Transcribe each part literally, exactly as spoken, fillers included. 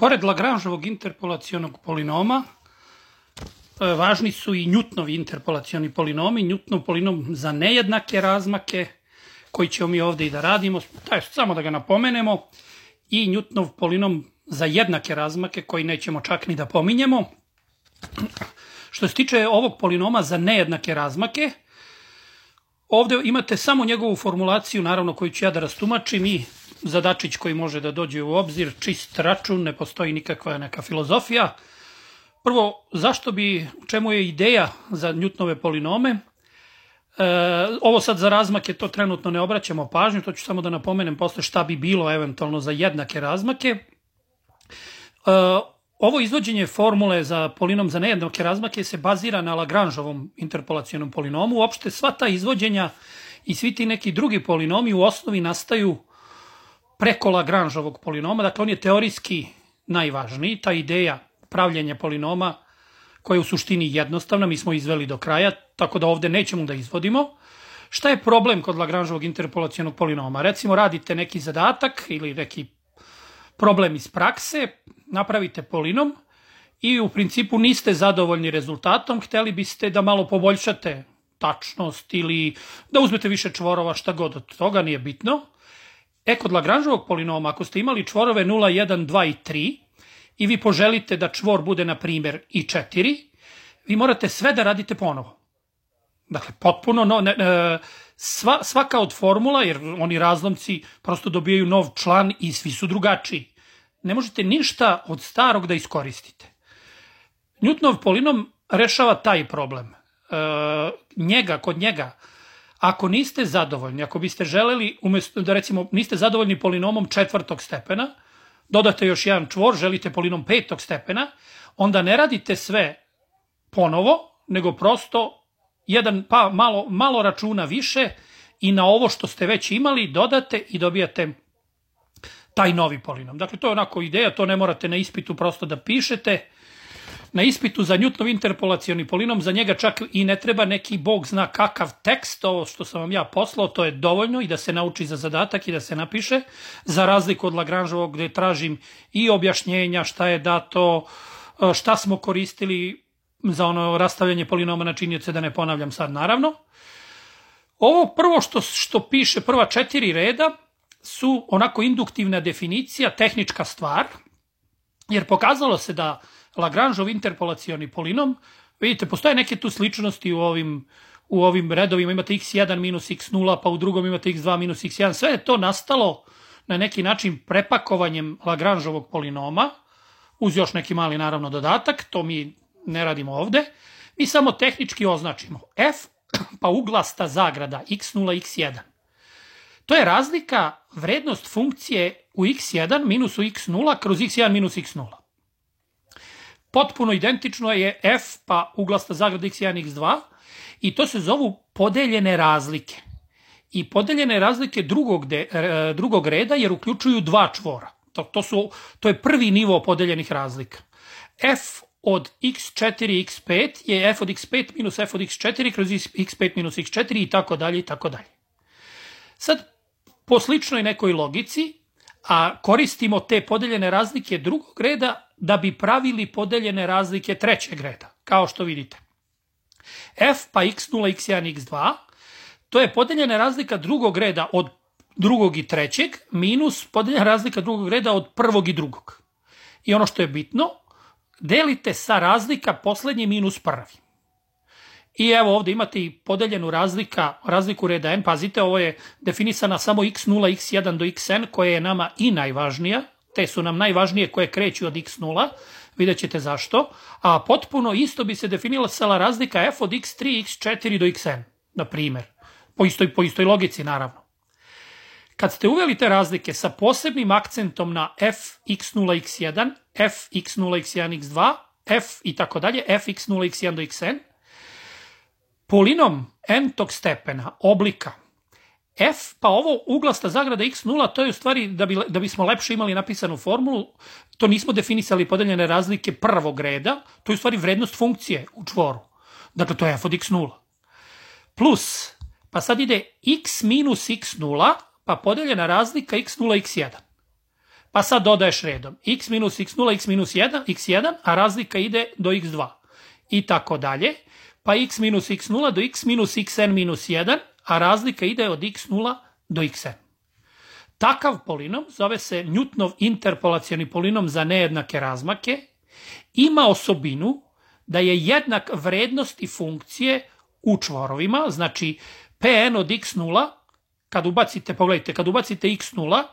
Pored Lagranževog interpolacionog polinoma, važni su i Newtonovi interpolacioni polinomi, Newtonov polinom za nejednake razmake, koji ćemo mi ovde i da radimo, samo da ga napomenemo, i Newtonov polinom za jednake razmake, koji nećemo čak ni da pominjemo. Što se tiče ovog polinoma za nejednake razmake, ovde imate samo njegovu formulaciju, naravno koju ću ja da rastumačim, i zadačić koji može da dođe u obzir, čist račun, ne postoji nikakva neka filozofija. Prvo, zašto bi, čemu je ideja za Newtonove polinome? E, ovo sad za razmake, to trenutno ne obraćamo pažnju, to ću samo da napomenem posle šta bi bilo eventualno za jednake razmake. E, ovo izvođenje formule za polinom za nejednake razmake se bazira na Lagranžovom interpolacionom polinomu. Uopšte sva ta izvođenja i svi ti neki drugi polinomi u osnovi nastaju preko Lagranžovog polinoma, dakle on je teorijski najvažniji, ta ideja pravljenja polinoma koja je u suštini jednostavna, mi smo izveli do kraja, tako da ovde nećemo da izvodimo. Šta je problem kod Lagranžovog interpolacionog polinoma? Recimo radite neki zadatak ili neki problem iz prakse, napravite polinom i u principu niste zadovoljni rezultatom, hteli biste da malo poboljšate tačnost ili da uzmete više čvorova, šta god od toga, nije bitno. E, kod Lagranžovog polinoma, ako ste imali čvorove nula, jedan, dva i tri i vi poželite da čvor bude, na primjer, i četiri, vi morate sve da radite ponovo. Dakle, potpuno, no, ne, ne, sva, svaka od formula, jer oni razlomci prosto dobijaju nov član i svi su drugačiji. Ne možete ništa od starog da iskoristite. Newtonov polinom rešava taj problem. E, njega, kod njega, ako niste zadovoljni, ako biste želeli, umesto da recimo niste zadovoljni polinomom četvrtog stepena, dodate još jedan čvor, želite polinom petog stepena, onda ne radite sve ponovo, nego prosto jedan, pa malo, malo računa više i na ovo što ste već imali dodate i dobijate taj novi polinom. Dakle, to je onako ideja, to ne morate na ispitu prosto da pišete. Na ispitu za Newtonov interpolacioni polinom, za njega čak i ne treba neki bog zna kakav tekst, ovo što sam vam ja poslao, to je dovoljno i da se nauči za zadatak i da se napiše, za razliku od Lagranžovog gde tražim i objašnjenja šta je dato, šta smo koristili za ono rastavljanje polinoma na činioce, da ne ponavljam sad naravno. Ovo prvo što, što piše, prva četiri reda, su onako induktivna definicija, tehnička stvar, jer pokazalo se da Lagranžov interpolacioni polinom, vidite, postoje neke tu sličnosti u ovim, u ovim redovima, imate iks jedan minus iks nula, pa u drugom imate iks dva minus iks jedan, sve je to nastalo na neki način prepakovanjem Lagranžovog polinoma, uz još neki mali naravno dodatak, to mi ne radimo ovde, mi samo tehnički označimo f, pa uglasta zagrada iks nula, iks jedan. To je razlika, vrednost funkcije u iks jedan minus u iks nula kroz iks jedan minus iks nula. Potpuno identično je f pa uglasta zagrada iks jedan, iks dva i to se zovu podeljene razlike. I podeljene razlike drugog, de, drugog reda jer uključuju dva čvora. To, to, su, to je prvi nivo podeljenih razlika. F od iks četiri, iks pet je f od iks pet minus f od iks četiri kroz iks pet minus iks četiri i tako dalje i tako dalje. Sad, po sličnoj nekoj logici, a koristimo te podeljene razlike drugog reda da bi pravili podeljene razlike trećeg reda, kao što vidite. F pa iks nula, iks jedan, iks dva, to je podeljena razlika drugog reda od drugog i trećeg, minus podeljena razlika drugog reda od prvog i drugog. I ono što je bitno, delite sa razlika poslednji minus prvi. I evo ovde imate i podeljenu razlika, razliku reda n, pazite, ovo je definisana samo iks nula, iks jedan do xn, koja je nama i najvažnija, te su nam najvažnije koje kreću od iks nula, vidjet ćete zašto, a potpuno isto bi se definisala razlika f od iks tri, iks četiri do xn, na primjer, po istoj, po istoj logici naravno. Kad ste uveli te razlike sa posebnim akcentom na f iks nula, iks jedan, f iks nula, iks jedan, iks dva, f i tako dalje, f iks nula, iks jedan do xn, polinom n-tog stepena, oblika, f, pa ovo uglasta zagrada iks nula, to je u stvari, da, bi, da bismo lepše imali napisanu formulu, to nismo definisali podeljene razlike prvog reda, to je u stvari vrednost funkcije u čvoru. Dakle, to je f od iks nula. Plus, pa sad ide x minus iks nula, pa podeljena razlika iks nula, iks jedan. Pa sad dodaješ redom x minus x nula, x minus jedan, x jedan, a razlika ide do x dva. I tako dalje. Pa x minus x nula do x minus xn minus jedan, a razlika ide od x nula do xn. Takav polinom zove se Newtonov interpolacioni polinom za nejednake razmake. Ima osobinu da je jednak vrednosti funkcije u čvorovima, znači Pn od x nula, kad ubacite, pogledajte, kad ubacite x nula,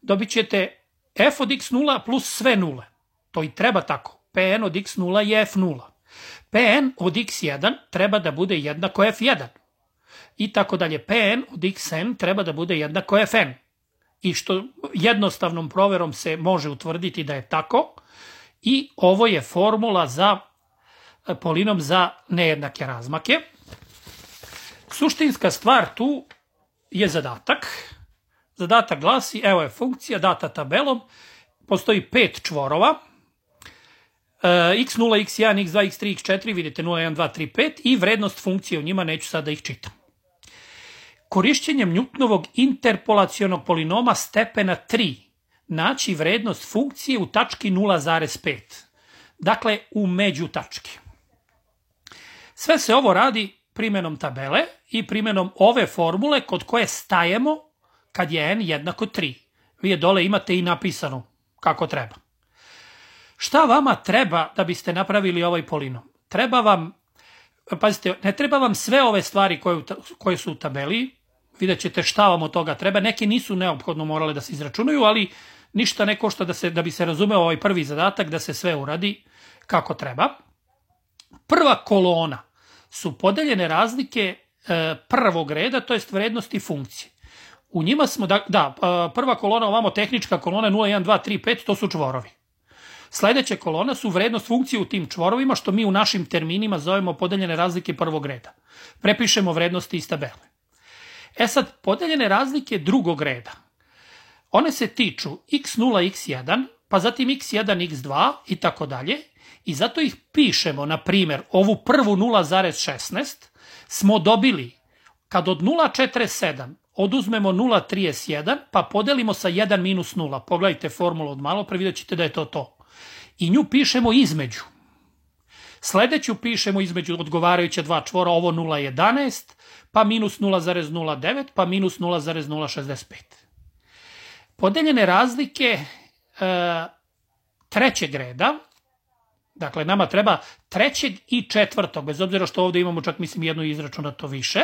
dobit ćete f od x nula plus sve nule. To i treba tako. Pn od x nula je f nula. Pn od x jedan treba da bude jednako f jedan. I tako dalje. Pn od xn treba da bude jednako fn. I što jednostavnom proverom se može utvrditi da je tako. I ovo je formula za polinom za nejednake razmake. Suštinska stvar tu je zadatak. Zadatak glasi, evo je funkcija data tabelom, postoji pet čvorova, x nula, x jedan, x dva, x tri, x četiri, vidite nula, jedan, dva, tri, pet i vrednost funkcije u njima, neću sada da ih čitam. Korišćenjem Newtonovog interpolacionog polinoma stepena tri naći vrednost funkcije u tački nula zarez pet, dakle u među tački. Sve se ovo radi primjenom tabele i primjenom ove formule kod koje stajemo kad je n jednako tri. Vi je dole imate i napisano kako treba. Šta vama treba da biste napravili ovaj polinom? Treba vam, pazite, ne treba vam sve ove stvari koje, koje su u tabeli, vidjet ćete šta vam od toga treba. Neki nisu neophodno morale da se izračunaju, ali ništa ne košta da, se, da bi se razumeo ovaj prvi zadatak, da se sve uradi kako treba. Prva kolona su podeljene razlike e, prvog reda, to jest vrednosti funkcije. U njima smo, da, da prva kolona, ovamo tehnička kolona nula, jedan, dva, tri, pet, to su čvorovi. Sledeća kolona su vrednost funkcije u tim čvorovima, što mi u našim terminima zovemo podeljene razlike prvog reda. Prepišemo vrednosti iz tabele. E sad, podeljene razlike drugog reda. One se tiču x nula, x jedan, pa zatim x jedan, x dva i tako dalje. I zato ih pišemo, na primjer, ovu prvu nula zarez šesnaest smo dobili kad od nula zarez četrdeset sedam oduzmemo nula zarez trideset jedan pa podelimo sa jedan minus nula. Pogledajte formulu od malo, pre vidjet ćete da je to to. I nju pišemo između. Sledeću pišemo između odgovarajuća dva čvora, ovo nula zarez jedanaest, pa minus nula zarez nula devet, pa minus nula zarez nula šezdeset pet. Podeljene razlike e, trećeg reda, dakle nama treba trećeg i četvrtog, bez obzira što ovdje imamo čak mislim jedno izračunato više,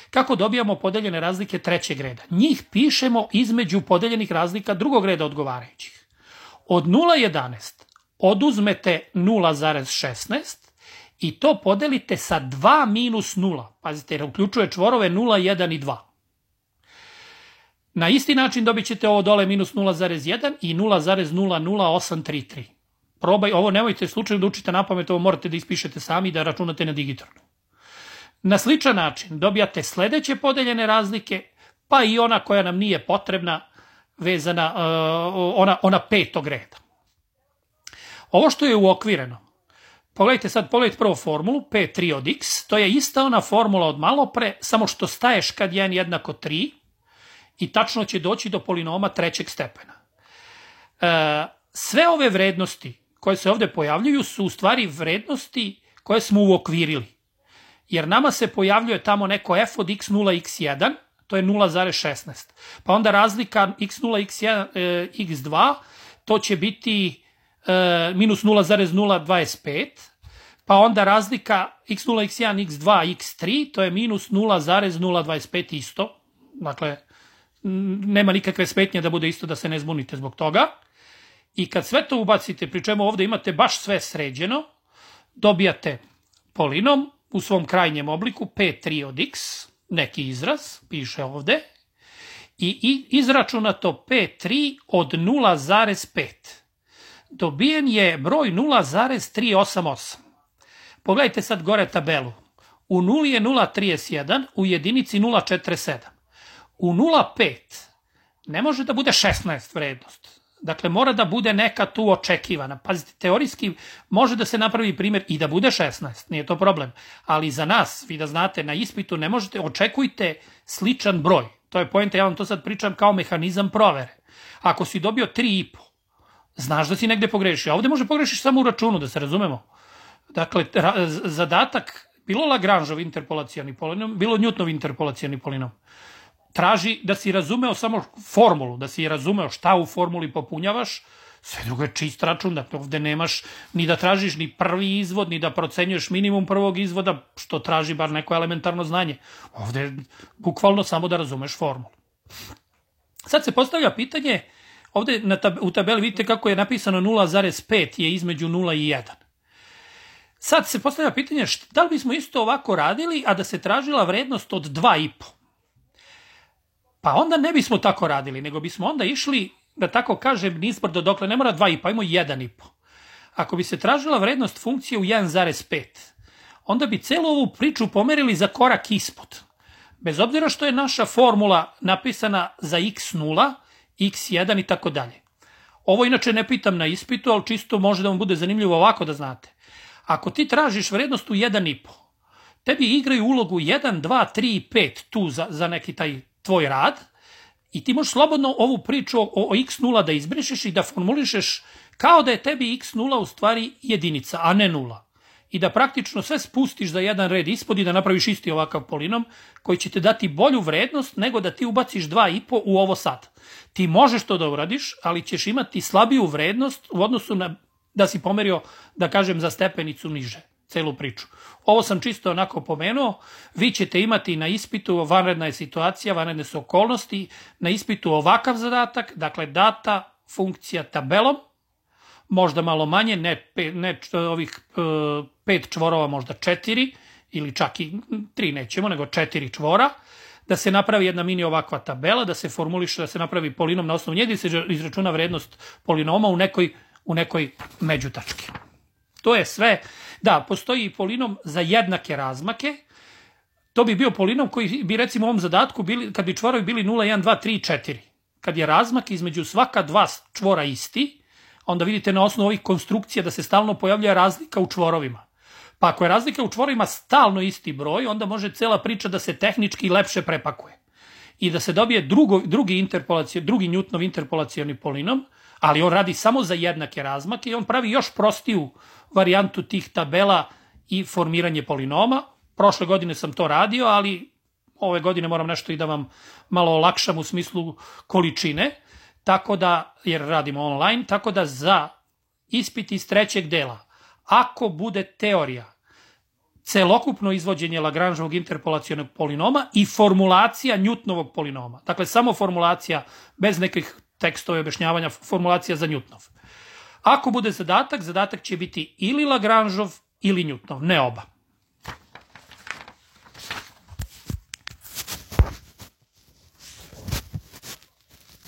kako dobijamo podeljene razlike trećeg reda. Njih pišemo između podeljenih razlika drugog reda odgovarajućih. Od nula zarez jedanaest oduzmete nula zarez šesnaest i to podelite sa dva minus nula. Pazite, jer uključuje čvorove nula, jedan i dva. Na isti način dobit ćete ovo dole minus nula zarez jedan i nula zarez nula nula osam tri tri. Probaj, ovo nemojte slučajno da učite na pamet, ovo morate da ispišete sami i da računate na digitalno. Na sličan način dobijate sledeće podeljene razlike, pa i ona koja nam nije potrebna, vezana, uh, ona, ona petog reda. Ovo što je uokvireno, pogledajte sad, pogledajte prvo formulu, p tri od x, to je ista ona formula od malo pre, samo što staješ kad je n jednako tri i tačno će doći do polinoma trećeg stepena. Uh, sve ove vrednosti koje se ovde pojavljuju su u stvari vrednosti koje smo uokvirili. Jer nama se pojavljuje tamo neko f od x nula, x jedan, to je nula zarez šesnaest. Pa onda razlika x nula, x jedan, x dva, to će biti e, minus nula zarez nula dvadeset pet. Pa onda razlika x nula, x jedan, x dva, x tri, to je minus nula zarez nula dvadeset pet isto. Dakle, nema nikakve smetnje da bude isto, da se ne zbunite zbog toga. I kad sve to ubacite, pri čemu ovde imate baš sve sređeno, dobijate polinom u svom krajnjem obliku p tri od x, neki izraz, piše ovde, i, i izračunato p tri od nula zarez pet. Dobijen je broj nula zarez tristo osamdeset osam. Pogledajte sad gore tabelu. U nuli je nula zarez trideset jedan, u jedinici nula zarez četrdeset sedam. U nula zarez pet ne može da bude šesnaest vrednost. Dakle, mora da bude neka tu očekivana. Pazite, teorijski može da se napravi primjer i da bude šesnaest, nije to problem. Ali za nas, vi da znate, na ispitu ne možete, očekujte sličan broj. To je poenta, ja vam to sad pričam kao mehanizam provere. Ako si dobio tri i po, znaš da si negde pogrešio. A ovde može pogrešiš samo u računu, da se razumemo. Dakle, zadatak, bilo Lagrangeov interpolacioni polinom, bilo Newtonov interpolacioni polinom, traži da si razumeo samo formulu, da si razumeo šta u formuli popunjavaš, sve drugo je čist račun, dakle ovde nemaš ni da tražiš ni prvi izvod, ni da procenjuješ minimum prvog izvoda, što traži bar neko elementarno znanje. Ovde je bukvalno samo da razumeš formulu. Sad se postavlja pitanje, ovde u tabeli vidite kako je napisano nula zarez pet je između nula i jedan. Sad se postavlja pitanje da li bismo isto ovako radili, a da se tražila vrednost od dva i po. Pa onda ne bismo tako radili, nego bismo onda išli, da tako kažem, nizbrdo, dokle ne mora dva i po, ajmo jedan i po. Ako bi se tražila vrednost funkcije u jedan zarez pet, onda bi celu ovu priču pomerili za korak ispod. Bez obzira što je naša formula napisana za iks nula, iks jedan i tako dalje. Ovo inače ne pitam na ispitu, ali čisto može da vam bude zanimljivo ovako da znate. Ako ti tražiš vrednost u jedan i po, tebi igraju ulogu jedan, dva, tri i pet tu za, za neki taj tvoj rad i ti možeš slobodno ovu priču o, o iks nula da izbrišeš i da formulišeš kao da je tebi iks nula u stvari jedinica, a ne nula. I da praktično sve spustiš za jedan red ispod i da napraviš isti ovakav polinom koji će te dati bolju vrednost nego da ti ubaciš dva i po u ovo sad. Ti možeš to da uradiš, ali ćeš imati slabiju vrednost u odnosu na da si pomerio, da kažem, za stepenicu niže, celu priču. Ovo sam čisto onako pomenuo, vi ćete imati na ispitu, vanredna je situacija, vanredne su okolnosti, na ispitu ovakav zadatak, dakle data funkcija tabelom, možda malo manje, ne, ne ovih e, pet čvorova, možda četiri, ili čak i tri nećemo, nego četiri čvora, da se napravi jedna mini ovakva tabela, da se formuliše, da se napravi polinom na osnovu njega i se izračuna vrednost polinoma u nekoj u nekoj međutački. To je sve. Da, postoji i polinom za jednake razmake. To bi bio polinom koji bi recimo u ovom zadatku bili, kad bi čvorovi bili nula, jedan, dva, tri, četiri. Kad je razmak između svaka dva čvora isti, onda vidite na osnovu ovih konstrukcija da se stalno pojavlja razlika u čvorovima. Pa ako je razlika u čvorovima stalno isti broj, onda može cela priča da se tehnički lepše prepakuje. I da se dobije drugo, drugi, interpolacion, drugi Newtonov interpolacioni polinom, ali on radi samo za jednake razmake i on pravi još prostiju varijantu tih tabela i formiranje polinoma. Prošle godine sam to radio, ali ove godine moram nešto i da vam malo olakšam u smislu količine, tako da, jer radimo online, tako da za ispit iz trećeg dela, ako bude teorija, celokupno izvođenje Lagrangeovog interpolacionog polinoma i formulacija Newtonovog polinoma, dakle samo formulacija bez nekih tekstove objašnjavanja, formulacija za Newtonov. Ako bude zadatak, zadatak će biti ili Lagrangeov ili Newtonov, ne oba.